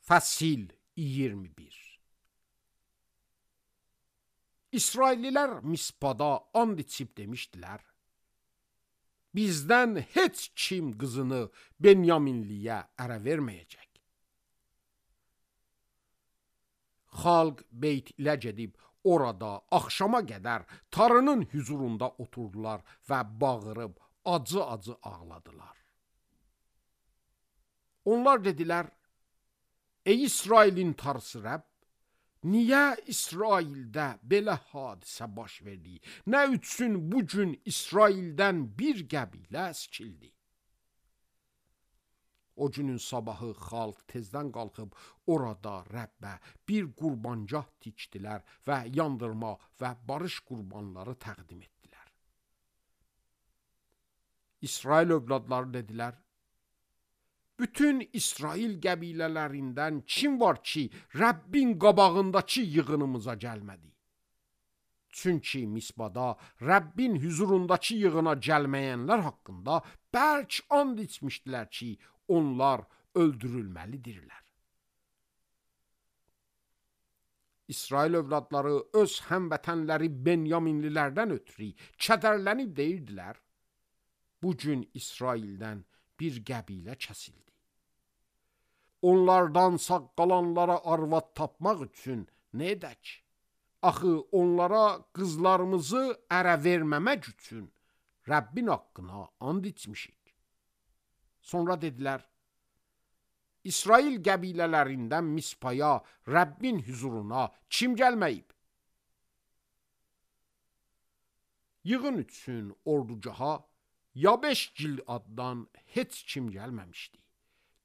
Fəsil 21. İsraillilər Mispada and içib demişdilər: bizdən heç kim qızını Benyaminliyə ərə verməyəcək. Xalq Beyt ilə gedib orada axşama qədər Tanrının huzurunda oturdular və bağırıb acı-acı ağladılar. Onlar dedilər: ey İsrailin Tanrısı Rəbb, niyə İsraildə belə hadisə baş verdi? Nə üçün bu gün İsraildən bir qəbilə əskildi? O günün sabahı xalq tezdən qalxıb orada Rəbbə bir qurbancah tikdilər və yandırma və barış qurbanları təqdim etdilər. İsrail övladları dedilər: bütün İsrail qəbilələrindən kim var ki, Rəbbin qabağındakı yığınımıza gəlmədi? Çünki Mispada Rəbbin huzurundakı yığına gəlməyənlər haqqında bərk and içmişdilər ki, onlar öldürülməlidirlər. İsrail övladları öz həmvətənləri Benyaminlilərdən ötürü kədərlənib deyirdilər: bu gün İsraildən bir qəbilə kəsildi. Onlardan sağ qalanlara arvad tapmaq üçün nə edək? Axı onlara qızlarımızı ərə verməmək üçün Rəbbin haqqına and içmişik. Sonra dedilər: İsrail qəbilələrindən Mispaya, Rəbbin huzuruna kim gəlməyib? Yığın üçün ordugaha Yabeş Giladdan heç kim gəlməmişdi.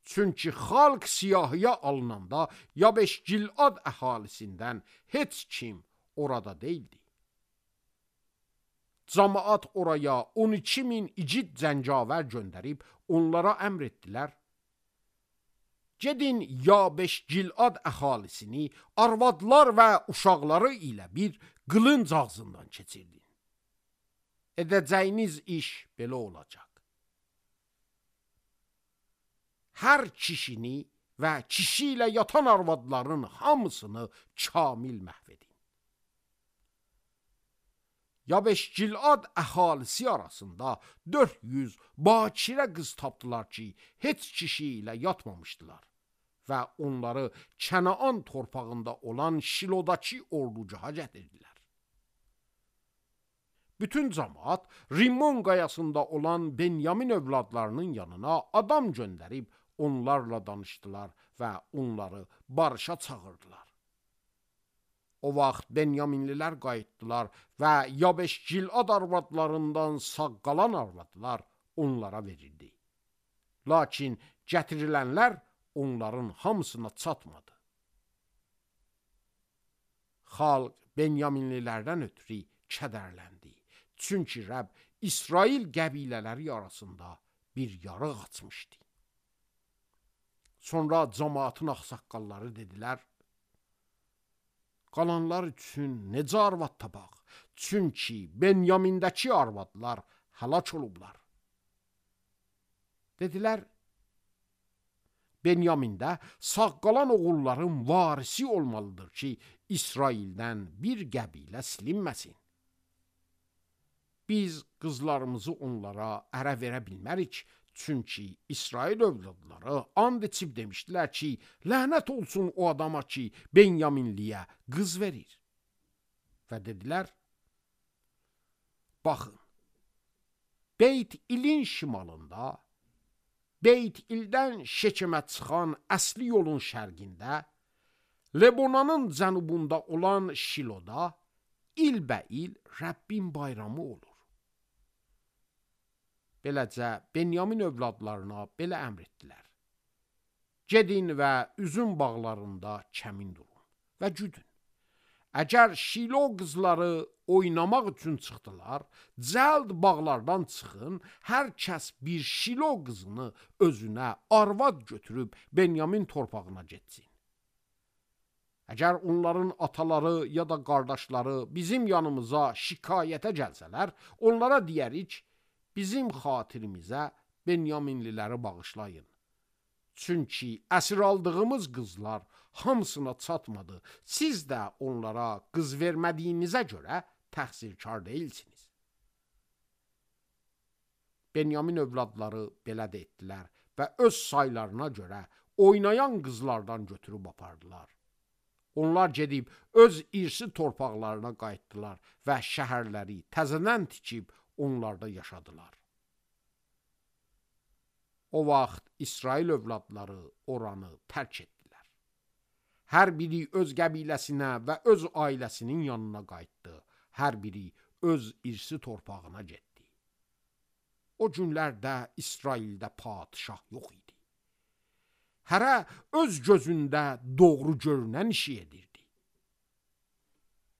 Çünki xalq siyahıya alınanda Yabeş Gilad əhalisindən heç kim orada deyildi. Camaat oraya 12.000 igid zəncavər göndərib onlara əmr etdilər: gedin Yabeş Gilad əhalisini arvadlar və uşaqları ilə bir qılınc ağzından keçirdin. Edəcəyiniz iş belə olacaq: hər kişini və kişi ilə yatan arvadların hamısını kamil məhv edin. Yabeş Gilad əhalisi arasında 400 bakirə qız tapdılar ki, heç kişi ilə yatmamışdılar və onları Kənaan torpağında olan Şilodakı ordugaha gətirdilər. Bütün camaat Rimmon qayasında olan Benyamin övladlarının yanına adam göndərib onlarla danışdılar və onları barışa çağırdılar. O vaxt Benyaminlilər qayıtdılar və Yabeş Gilad arvadlarından sağ qalan arvadlar onlara verildi. Lakin gətirilənlər onların hamısına çatmadı. Xalq Benyaminlilərdən ötürü kədərləndi. Çünki Rəbb İsrail qəbilələri arasında bir yarıq açmışdı. Sonra cemaatın ağsaqqalları dedilər: qalanlar üçün necə arvad tapaq? Çünki Benyamindəki arvadlar həlak olublar. Dedilər: Benyamində sağ qalan oğulların varisi olmalıdır ki, İsraildən bir qəbilə silinməsin. Biz qızlarımızı onlara ərə verə bilmərik, çünki İsrail övladları and içib demişdilər ki, lənət olsun o adama ki, Benyaminliyə qız verir. Və dedilər: baxın, Beyt İlin şimalında, Beyt İldən Şekemə çıxan əsli yolun şərqində, Lebonanın cənubunda olan Şiloda ilbəil Rəbbin bayramı olur. Beləcə Benyamin övladlarına belə əmr etdilər: gedin və üzüm bağlarında kəmin durun və güdün. Əgər Şilo qızları oynamaq üçün çıxdılar, cəld bağlardan çıxın, hər kəs bir Şilo qızını özünə arvad götürüb Benyamin torpağına getsin. Əgər onların ataları ya da qardaşları bizim yanımıza şikayətə gəlsələr, onlara deyərik: bizim xatirimizə Benyaminliləri bağışlayın. Çünki əsir aldığımız qızlar hamısına çatmadı. Siz də onlara qız vermədiyinizə görə təqsirkar deyilsiniz. Benyamin övladları belə də etdilər və öz saylarına görə oynayan qızlardan götürüb apardılar. Onlar gedib öz irsi torpaqlarına qayıtdılar və şəhərləri təzədən tikib onlarda yaşadılar. O vaxt İsrail övladları oranı tərk etdilər. Hər biri öz qəbiləsinə və öz ailəsinin yanına qayıtdı. Hər biri öz irsi torpağına getdi. O günlərdə İsraildə padişah yox idi. Hərə öz gözündə doğru görünən işi edirdi.